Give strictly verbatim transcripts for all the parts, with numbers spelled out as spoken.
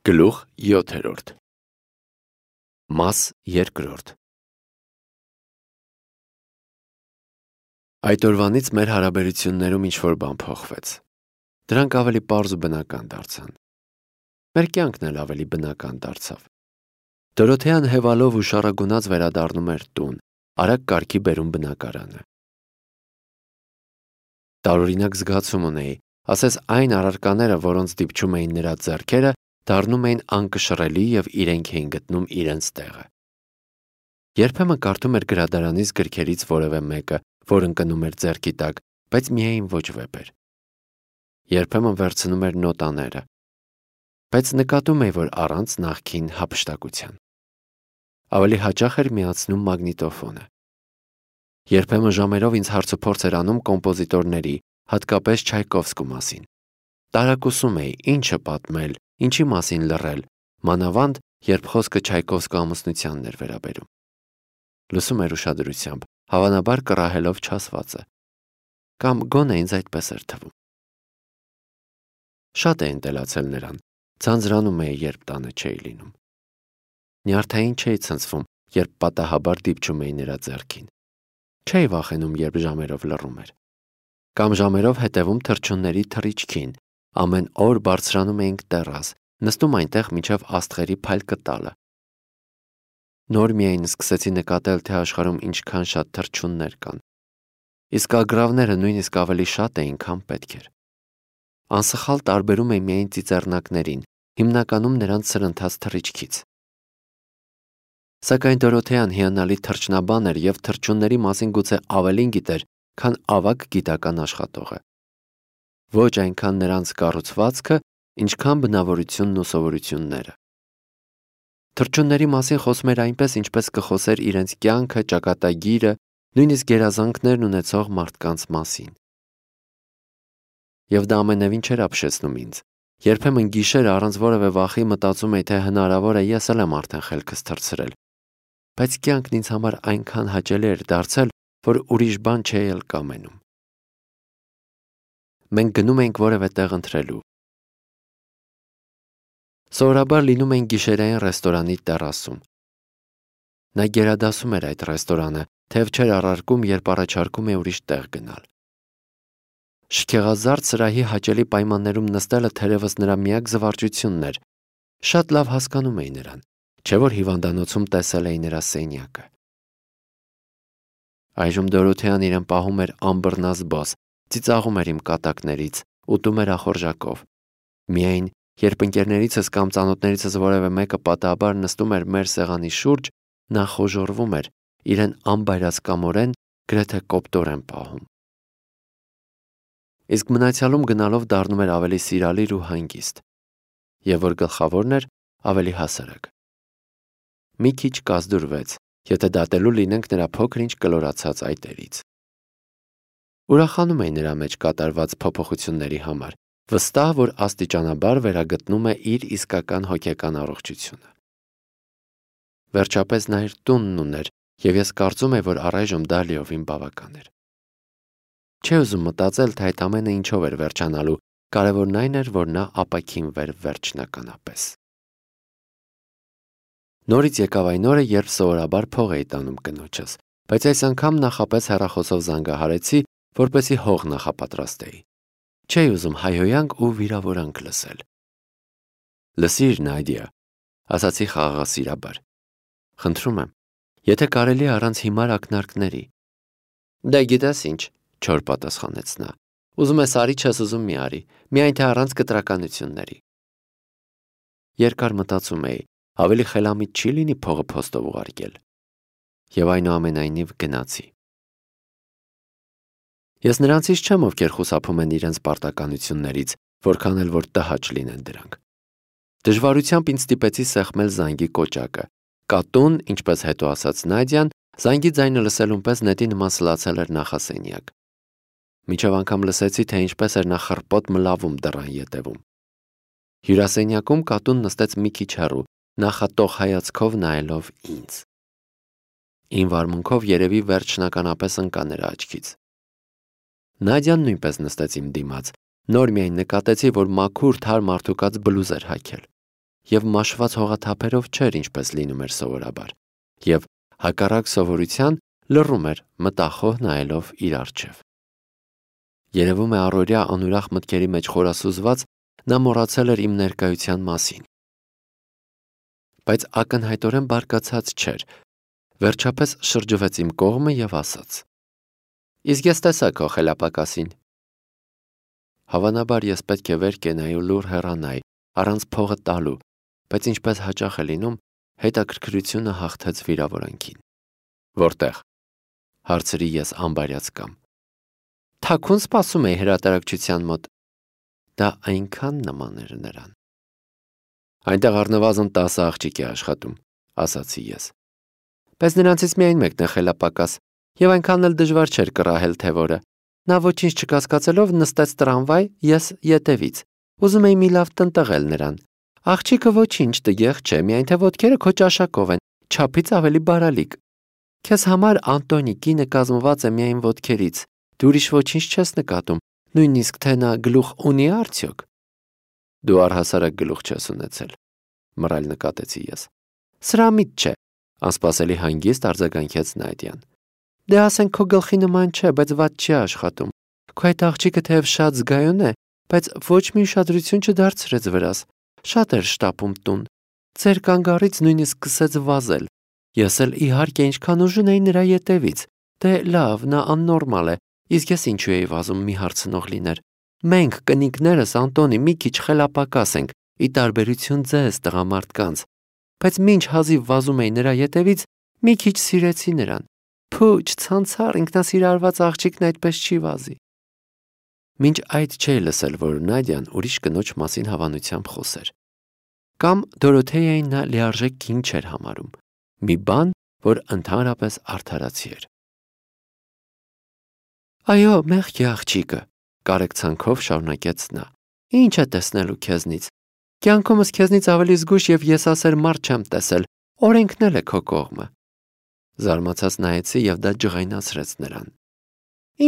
Գլուխ յոթերորդ Մաս երկրորդ Այդ օրվանից մեր հարաբերություններում ինչ-որ բան փոխվեց։ Դրանք ավելի պարզ ու բնական դարձան։ Մեր կյանքն էլ ավելի բնական դարձավ։ Դորոթեան հևալով ու շառագունած վերադառնում էր տուն, արագ կարգի բերում բնակարանը։ Տարօրինակ զգացում ունեի, ասես այն առարկաները, որոնց դիպչում էին նրա ձեռքերը, դառնում էին անկշռելի և իրենք էին գտնում իրենց տեղը։ Երբեմն կարդում էր գրադարանից գրքերից որևէ մեկը, որ ընկնում էր ձեռքի տակ, բայց միայն ոչ վեպեր։ Երբեմն վերցնում էր նոտաները, բայց նկատում էի, որ առանց նախկին հափշտակության։ Ավելի հաճախ էր միացնում մագնիտոֆոնը։ Երբեմն ժամերով ինձ հարցուփորձ էր անում կոմպոզիտորների, հատկապես Չայկովսկու մասին։ Տարակուսում էի, ինչը պատմել, ինչի մասին լռել, մանավանդ, երբ խոսքը Չայկովսկու ամուսնությանն էր վերաբերում։ Լսում էր ուշադրությամբ, հավանաբար կռահելով չասվածը։ Կամ գոնե ինձ այդպես էր թվում։ Շատ էի ընտելացել նրան, ձանձրանում էի, երբ տանը չէի լինում։ Նյարդային չէի ցնցվում, երբ պատահաբար դիպչում էի նրա ձեռքին։ Չէի վախենում, երբ ժամերով լռում էր։ Կամ ժամերով հետևում թռչունների թռիչքին, ամեն օր բարձրանում էինք տեռաս, նստում այնտեղ մինչև աստղերի փայլկը տալը։ Նոր միայն սկսեցի նկատել, թե աշխարհում ինչքան շատ թռչուններ կան։ Իսկ ագռավները նույնիսկ ավելի շատ էին, քան պետք էր։ Անսխալ տարբերում էի միայն ծիծեռնակներին, հիմնականում նրանց սրընթաց թռիչքից։ Սակայն Դորոթեան հիանալի թռչնաբան էր և թռչունների մասին գուցե ավելին գիտեր, քան ավագ գիտական աշխատողը։ Ոչ այնքան նրանց կառուցվածքը, ինչքան բնավորությունն ու սովորությունները։ Թռչունների մասին խոսում էր այնպես, ինչպես կխոսեր իրենց կյանքը, ճակատագիրը, նույնիսկ գերազանքներն ունեցող մարդկանց մասին։ Եվ դա ամենևին չէր ապշեցնում ինձ։ Երբեմն գիշերը առանց որևէ վախի մտածում էի, թե հնարավոր է ես էլ եմ արդեն խելքս թռցրել։ Բայց կյանքն ինձ համար այնքան հաճելի էր դարձել, որ ուրիշ բան չէի էլ կամենում։ Մենք գնում էինք որևէ տեղ ընթրելու։ Սովորաբար լինում էինք գիշերային ռեստորանի տեռասում։ Նա գերադասում էր այդ ռեստորանը, թեև չէր առարկում, երբ առաջարկում է ուրիշ տեղ գնալ։ Շքեղազարդ սրահի հաճելի պայմաններում նստելը թերևս նրա միակ զվարճությունն էր։ Շատ լավ հասկանում էի նրան, չէ՞ որ հիվանդանոցում տեսել էի նրա սենյակը։ Այժմ Դորոթեան իրեն պահում էր անբռնազբաղ, ծիծաղում էր իմ կատակներից, ուտում էր ախորժակով։ Միայն, երբ ընկերներիցս կամ ծանոթներիցս որևէ մեկը պատահաբար նստում էր մեր սեղանի շուրջ, նա խոժոռվում էր, իրեն անբայրացկամորեն, գրեթե կոպտորեն պահում։ Իսկ մնացյալում գնալով դառնում էր ավելի սիրալիր ու հանգիստ։ Եվ որ գլխավորն էր, ավելի հասարակ։ Մի քիչ կազդուրվեց, եթե դատելու լինենք նրա փոքր-ինչ կլորացած այտերից։ Ուրախանում էի նրա մեջ կատարված փոփոխությունների համար, վստահ, որ աստիճանաբար վերագտնում է իր իսկական հոգեկան առողջությունը։ Վերջապես նա իր տունն ուներ, և ես կարծում եի, որ առայժմ դա լիովին բավական էր։ Չէի ուզում մտածել, թե այդ ամենը ինչով էր վերջանալու, կարևորն այն էր, որ նա ապաքինվեր վերջնականապես։ Նորից եկավ այն օրը, երբ սովորաբար փող էի տանում կնոջս, բայց այս անգամ նախապես հեռախոսով զանգահարեցի, որպեսզի հող նախապատրաստեի։ Չէի ուզում հայհոյանք ու վիրավորանք լսել։ Լսիր, Նադիա, ասացի խաղաղասիրաբար։ Խնդրում եմ, եթե կարելի է առանց հիմար ակնարկների։ Դե գիտես ինչ, չոր պատասխանեց նա։ Ուզում ես արի, չես ուզում մի արի, միայն թե առանց կտրականությունների։ Երկար մտածում էի, ավելի խելամիտ չի լինի փողը փոստով ուղարկել։ Եվ այնուամենայնիվ գնացի։ Ես նրանցից չեմ, ովքեր խուսափում են իրենց պարտականություններից, որքան էլ որ տհաճ լինեն դրանք։ Դժվարությամբ ինձ ստիպեցի սեղմել զանգի կոճակը։ Կատուն, ինչպես հետո ասաց Նադյան, զանգի ձայնը լսելուն պես նետի նման սլացել էր նախասենյակ։ Մինչև անգամ լսեցի, թե ինչպես էր նա խռպոտ մլավում դռան ետևում։ Հյուրասենյակում կատուն նստեց մի քիչ հեռու, նախատող հայացքով նայելով ինձ։ Իմ վարմունքով երևի վերջնականապես ընկա նրա աչքից։ Նադյան նույնպես նստեց իմ դիմաց, նոր միայն նկատեցի, որ մաքուր թարմ արդուկած բլուզ էր հագել։ և մաշված հողաթափերով չէր, ինչպես լինում էր սովորաբար, և հակառակ սովորության լռում էր, մտախոհ նայելով իր առջև։ Երևում է առօրյա անուրախ մտքերի մեջ խորասուզված նա մոռացել էր իմ ներկայության մասին։ Բայց ակնհայտորեն բարկացած չէր, վերջապես շրջվեց իմ կողմը և ասաց. «Իսկ ես տեսա քո խելապակասին»։ Հավանաբար ես պետք է վեր կենայի ու լուռ հեռանայի, առանց փողը տալու, բայց ինչպես հաճախ է լինում, հետաքրքրությունը հաղթեց վիրավորանքին։ «Որտե՞ղ», հարցրի ես անբարյացկամ։ «Թաքուն սպասում էի հրատարակչության մոտ»։ Դա այնքան նման էր նրան։ «Այնտեղ առնվազն տասը աղջիկ է աշխատում», ասացի ես։ «Բայց նրանցից միայն մեկն է խելապակաս, և այնքան էլ դժվար չէր կռահել, թե որը։ Նա ոչինչ չկասկածելով նստեց տրամվայ, ես ետևից։ Ուզում էի մի լավ տնտղել նրան։ Աղջիկը ոչինչ տգեղ չէ, միայն թե ոտքերը քո ճաշակով են, չափից ավելի բարալիկ։ Քեզ համար Անտոնի կինը կազմված է միայն ոտքերից, դու ուրիշ ոչինչ չես նկատում, նույնիսկ թե նա գլուխ ունի արդյոք»։ «Դու առհասարակ գլուխ չես ունեցել», մռայլ նկատեցի ես։ «Սրամիտ չէ», անսպասելի հանգիստ արձագանքեց Նադյան։ «Դե ասենք քո գլխի նման չէ, բայց վատ չի աշխատում։ Քո այդ աղջիկը թեև շատ զգայուն է, բայց ոչ մի ուշադրություն չդարձրեց վրաս, շատ էր շտապում տուն։ Ձեր կանգառից նույնիսկ սկսեց վազել։ Ես էլ իհարկե ինչքան ուժ ունեի նրա ետևից։ Դե լավ, նա աննորմալ է, իսկ ես ինչու էի վազում, մի հարցնող լիներ։ Մենք կնիկներս Անտոնի մի քիչ խելապակաս ենք, ի տարբերություն ձեզ տղամարդկանց, բայց մինչ հազիվ վազում էի նրա ետևից, մի քիչ սիրեցի նրան։ Փու, չցանցար, ինքնասիրարված աղջիկն այդպես չի վազի»։ Մինչ այդ չէի լսել, որ Նադյան ուրիշ կնոջ մասին հավանությամբ խոսեր։ Կամ Դորոթեյային նա լիարժեք կին չէր համարում, մի բան, որ ընդհանրապես արդարացի էր։ «Այո, մեղք է աղջիկը», կարեկցանքով շարունակեց նա։ «Ինչ է տեսնելու քեզնից։ Կյանքումս քեզնից ավելի զգույշ և եսասեր մարդ չեմ տեսել, օրենքն էլ է քո կողմը»։ Զարմացած նայեցի և դա ջղայնացրեց նրան։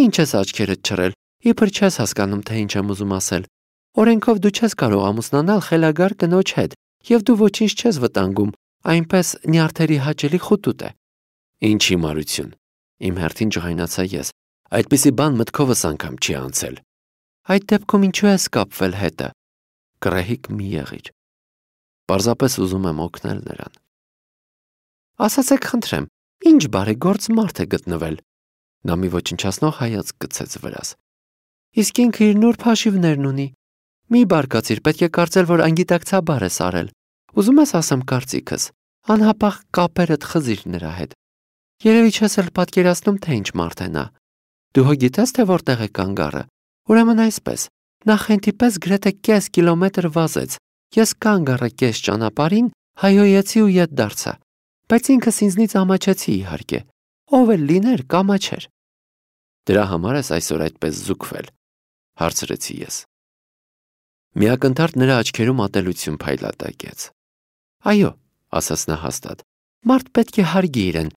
«Ինչ ես աչքերդ չռել, իբր չես հասկանում, թե ինչ եմ ուզում ասել։ Օրենքով դու չես կարող ամուսնանալ խելագար կնոջ հետ, և դու ոչինչ չես վտանգում, այնպես նյարդերի հաճելի խուտուտ է»։ «Ինչ հիմարություն», իմ հերթին ջղայնացա ես, այդպիսի բան մտքովս անգամ չի անցել։ «Այդ դեպքում ինչու ես կապվել հետը»։ Գռեհիկ մի եղիր։ Պարզապես ուզում եմ օգնել նրան։ «Ասացեք խնդրեմ, ինչ բարեգործ մարդ է գտնվել»։ Նա մի ոչնչացնող հայացք գցեց վրաս։ «Իսկ ինքը իր նուրբ հաշիվներն ունի։ Մի բարկացիր, պետք է կարծել, որ անգիտակցաբար ես արել։ Ուզում ես ասեմ կարծիքս, անհապաղ կապերդ խզիր նրա հետ։ Երևի չես էլ պատկերացնում, թե ինչ մարդ է նա։ Դու հո գիտես, թե որտեղ է կանգառը։ Ուրեմն այսպես, նա խենթի պես գրեթե կես կիլոմետր վազեց։ Ես կանգ առա կես ճանապարհին, հայհոյեցի ու ետ դարձա։ Բայց ինքս ինձնից ամաչեցի իհարկե։ Ով էլ լիներ, կամաչեր»։ «Դրա համար ես այսօր այդպես զուգվել», հարցրեցի ես։ Միակնթարթ նրա աչքերում ատելություն փայլատակեց։ «Այո», ասաց նա հաստատ, «մարդ պետք է հարգի իրեն,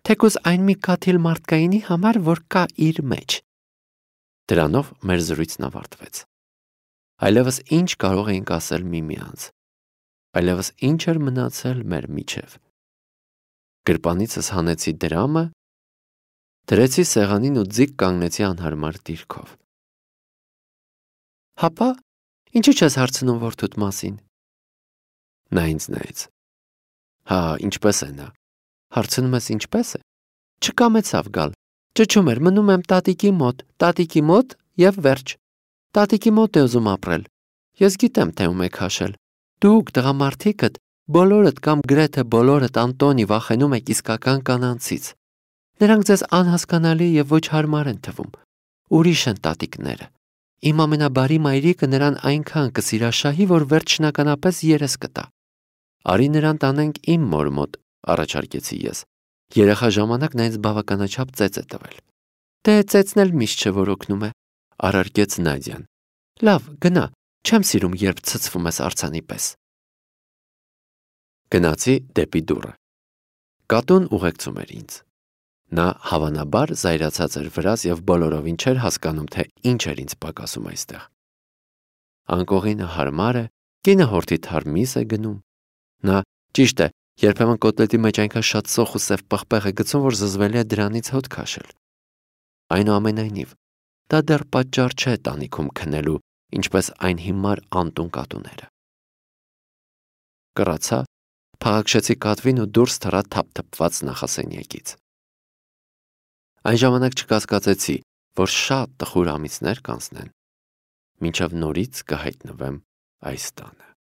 թեկուզ այն մի կաթիլ մարդկայինի համար, որ կա իր մեջ»։ Դրանով մեր զրույցն ավարտվեց։ Այլևս ինչ կարող էինք ասել միմյանց։ Այլևս ինչ էր մնացել մեր միջև։ Գրպանիցս հանեցի դրամը, դրեցի սեղանին ու ձիգ կանգնեցի անհարմար դիրքով։ «Հապա, ինչու չես հարցնում որդուդ մասին»։ Նա ինձ նայեց։ «Հա, ինչպես է նա»։ Հարցնում ես ինչպես է։ Չկամեցավ գալ։ Ճչում էր, մնում եմ տատիկի մոտ, տատիկի մոտ և վերջ։ Տատիկի մոտ է ուզում ապրել։ Ես գիտեմ, թե ում է քաշել։ Դուք, տղամարդիկդ, բոլորդ կամ գրեթե բոլորդ Անտոնի վախենում եք իսկական կանանցից։ Նրանք ձեզ անհասկանալի և ոչ հարմար են թվում։ Ուրիշ են տատիկները։ Իմ ամենաբարի մայրիկը նրան այնքան կսիրաշահի, որ վերջնականապես երես կտա։ Արի նրան տանենք իմ մոր մոտ, առաջարկեցի ես։ Երեխա ժամանակ նա ինձ բավականաչափ ծեծ է տվել։ Դե ծեծն էլ միշտ չէ, որ օգնում է, առարկեց Նադյան։ Լավ, գնա, չեմ սիրում, երբ ցցվում ես արձանի պես։ Գնացի դեպի դուռը։ Կատուն ուղեկցում էր ինձ։ Նա հավանաբար զայրացած էր վրաս և բոլորովին չէր հասկանում, թե ինչ էր ինձ պակասում այստեղ։ Անկողինը հարմար է, Կինը հորթի թար միս է գնում։ Նա, ճիշտ է, երբեմն կոտլետի մեջ այնքան շատ սոխ ու սև պղպեղ է գցում, որ զզվելի է դրանից հոտ քաշել։ Այնուամենայնիվ, դա դեռ պատճառ չէ տանիքում քնելու, ինչպես այն հիմար անտուն կատուները։ Կռացա, փաղաքշեցի կատվին ու դուրս թռա թափթփված նախասենյակից։ Այն ժամանակ չկասկածեցի, որ շատ տխուր ամիսներ կանցնեն, մինչև նորից կհայտնվեմ այս տանը։